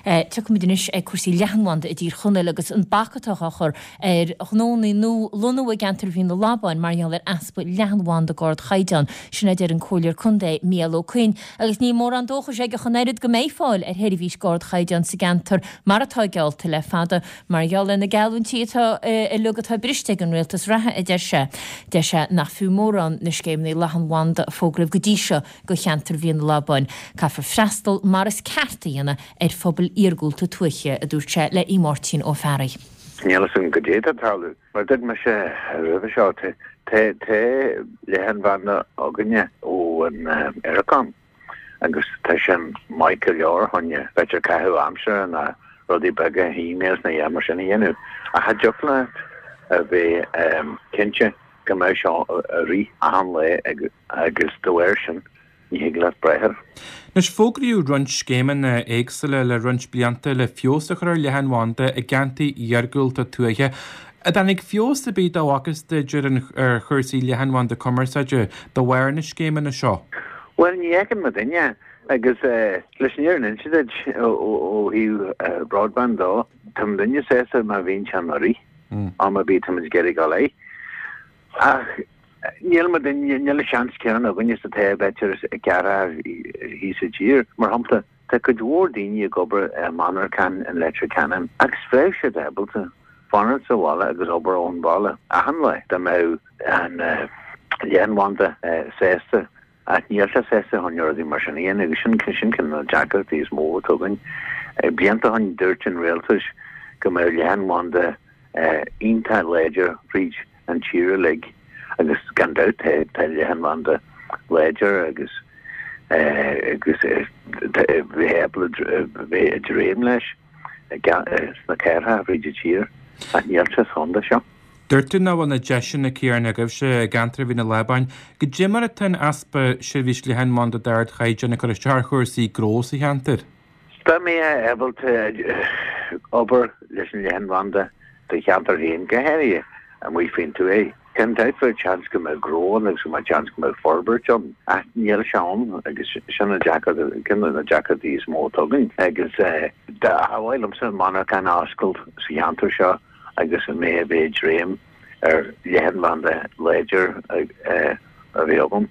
Tiocfaimid anois ag cúrsaí leathanbhanda i dTír Chonaill agus an bac atá á chur ar ghnónna nua lonnú i gceantar Mhín na Labáin mar gheall ar easpa leathanbhanda d'ardchaighdeán. Sin a deir an Comhairleoir Contae Mícheál Ó Coinn agus níl mórán dóchais aige ach an oiread go mbeidh fáil ar sheirbhís d'ardchaighdeán sa gceantar mar atá geallta le fada mar gheall ar na geallúintí atá uilig atá briste ag an rialtas reatha, a deir sé. Deir sé nach fiú mórán na scéimeanna leathanbhanda a fógraíodh go dtí seo do cheantar Mhín na Labáin. Caithfear freastal mar is ceart a dhéanamh ar phobail iargúlta tuaithe, a dúirt sé le Aodh Máirtín Ó Fearraigh. Níl fhios agam goidé atá ag tarlú. Mar a dúirt mise roimhe seo, tá leathanbhanda againne ó an Eircom agus tá sin maith go leor choinne b'fhéidir caitheamh aimsire ná rudaí beaga, emails nó a dhath mar sin a dhéanamh. Ach cha dtiocfadh leat a bheith cinnte go mbeadh seo ag rith achan lá agus dá bharr sin ní thig leat brath air. Anois, fógraíodh roinnt scéimeanna éagsúla le roinnt blianta le feabhas a chur ar leathanbhanda i gceantair iargúlta tuaithe. An dtáinig feabhas ar bith dá bhfacthas duit ar an ar chúrsaí leathanbhanda cumarsáide de bharr na scéimeanna seo? Bhuel, ní fheiceann mo dhuine, agus leis an fhírinne a inse duit ó thaobh broadband dó, tá mo dhuine sásta má bhíonn sé ag rith, am ar bith táimid ag iarraidh dul air. Ach níl mo dhuine, níl an seans céanna againne is atá b'fhéidir i gceantair thíos i dtír. Mar shampla, tá cuid mhór daoine ag obair i monarchan in Leitir Ceanainn agus bheadh siad ábalta fanacht sa bhaile agus obair ón bhaile achan lá dá mbeadh an leathanbhanda sásta Ach níl sé sásta chun rudaí mar sin a dhéanamh agus sin sin ceann de na deacrachtaí is mó atá againn. Blianta ó shin dúirt an rialtas go mbeadh leathanbhanda iontach láidir fríd an tír uilig agus gan dabht tá tá leathanbhanda láidir agus agus bheith ábalta bheith ag dréim leis sna cathracha fríd an tír ach níl sé sa chontae seo. Dúirt tú nach bhfuil na deiseanna céanna agaibhse i gceantar Mhín na Lábáin. Goidé mar atá an easpa seirbhís leathanbhanda d'ardchaighdeán ag cur isteach ar chúrsaí gnó sa cheantar? Dá mbeifeá ábalta obair leis an leathanbhanda do cheantar féin, go háirithe amuigh faoin tuaith, gan dabht bheadh seans go mbeadh gnó ann agus go mbeadh seans go mbeadh forbairt ann. Ach níl sé ann agus sin an deacracht, ceann de na deacrachtaí is mó atá againn. Agus ba mhaith liomsa monarchan a oscailt sa cheantar seo agus a mbeidh a bheith ag dréim ar leathanbhanda láidir a bheith agam.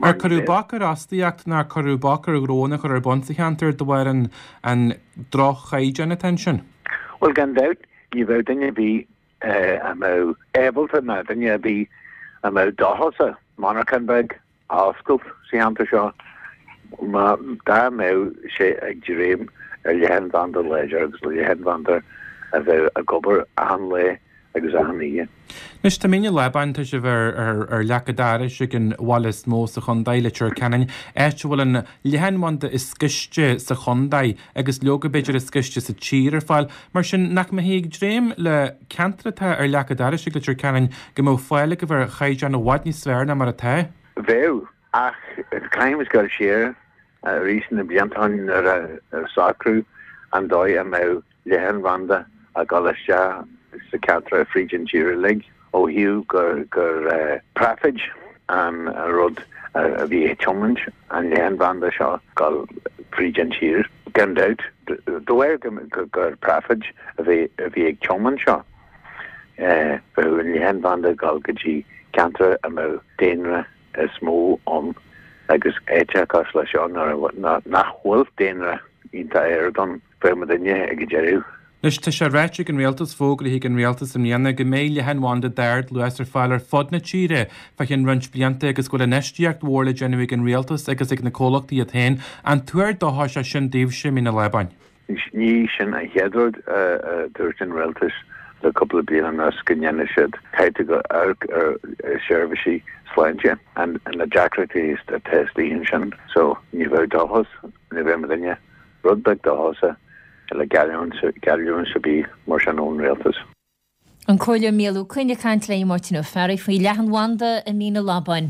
Ar cuireadh bac ar fhostaíocht nó ar cuireadh bac ar ghnónna a chur ar bun sa cheantar de bharr an an droch-chaighdeán atá ansin? Bhuel, gan dabht, ní bheadh duine ar bith a mbeadh ábalta ná duine ar bith a mbeadh dóchasach monarchan beag a oscailt sa cheantar seo má dá mbeadh sé ag dréim ar leathanbhanda láidir agus leathanbhanda a bheadh ag obair achan lá agus achan oíche. Anois, tá Mín na Lábáin, tá sibh ar, ar, ar leac an dorais ag an bhaile is mó sa chontae, Leitir Ceanainn, áit a bhfuil an leathanbhanda is gaiste sa chontae agus leoga b'fhéidir is gaiste sa tír ar fáil. Mar sin, nach mbeifí ag dréim le ceantar atá ar leac an dorais ag Leitir Ceanainn go mbeadh fáil agaibh ar chaighdeán i bhfad níos fearr ná mar atá? Bheadh, ach caithfimid dul siar arís na blianta ó shin nuair a socraíodh an dóigh a mbeadh leathanbhanda ag dul isteach sa cheantar fríd an tír uilig ó thaobh gur gur praifid an rud a bhí ag tiomáint an leathanbhanda seo dul fríd an tír. Gan dabht, de bharr gur praifid a bhí a bhí ag tiomáint seo, bheadh an leathanbhanda ag dul go dtí ceantar a mbeadh daonra is mó ann agus áiteacha cosúil le seo nach bhfuil daonra iontach ard ann. Bheadh mo dhuine ag an deireadh. Anois, tá sé ráite ag an Rialtas, fógraithe ag an Rialtas i mbliana go mbeidh leathanbhanda d'ardluas ar fáil ar fud na tíre fá cheann roinnt blianta agus go bhfuil infheistíocht mhór le déanamh ag an Rialtas agus ag na comhlachtaí iad féin. An tuar dóchais é sin daoibhse i Mín na Lábáin? Ní sin an chéad rud a dúirt an Rialtas le cúpla bliain anuas, go ndéanfaidh siad caithfidh tú amharc ar seirbhísí sláinte and na deacrachtaí atá istigh ansin. So, ní bheadh dóchas, ní bheadh mo dhuine. Rud beag dóchasach le geallúint ar bith mar sin ón rialtas. An Comhairleoir Mícheál Ó Coinn ag caint le Máirtín Ó Fearraigh faoi leathanbhanda i Mín na Lábáin.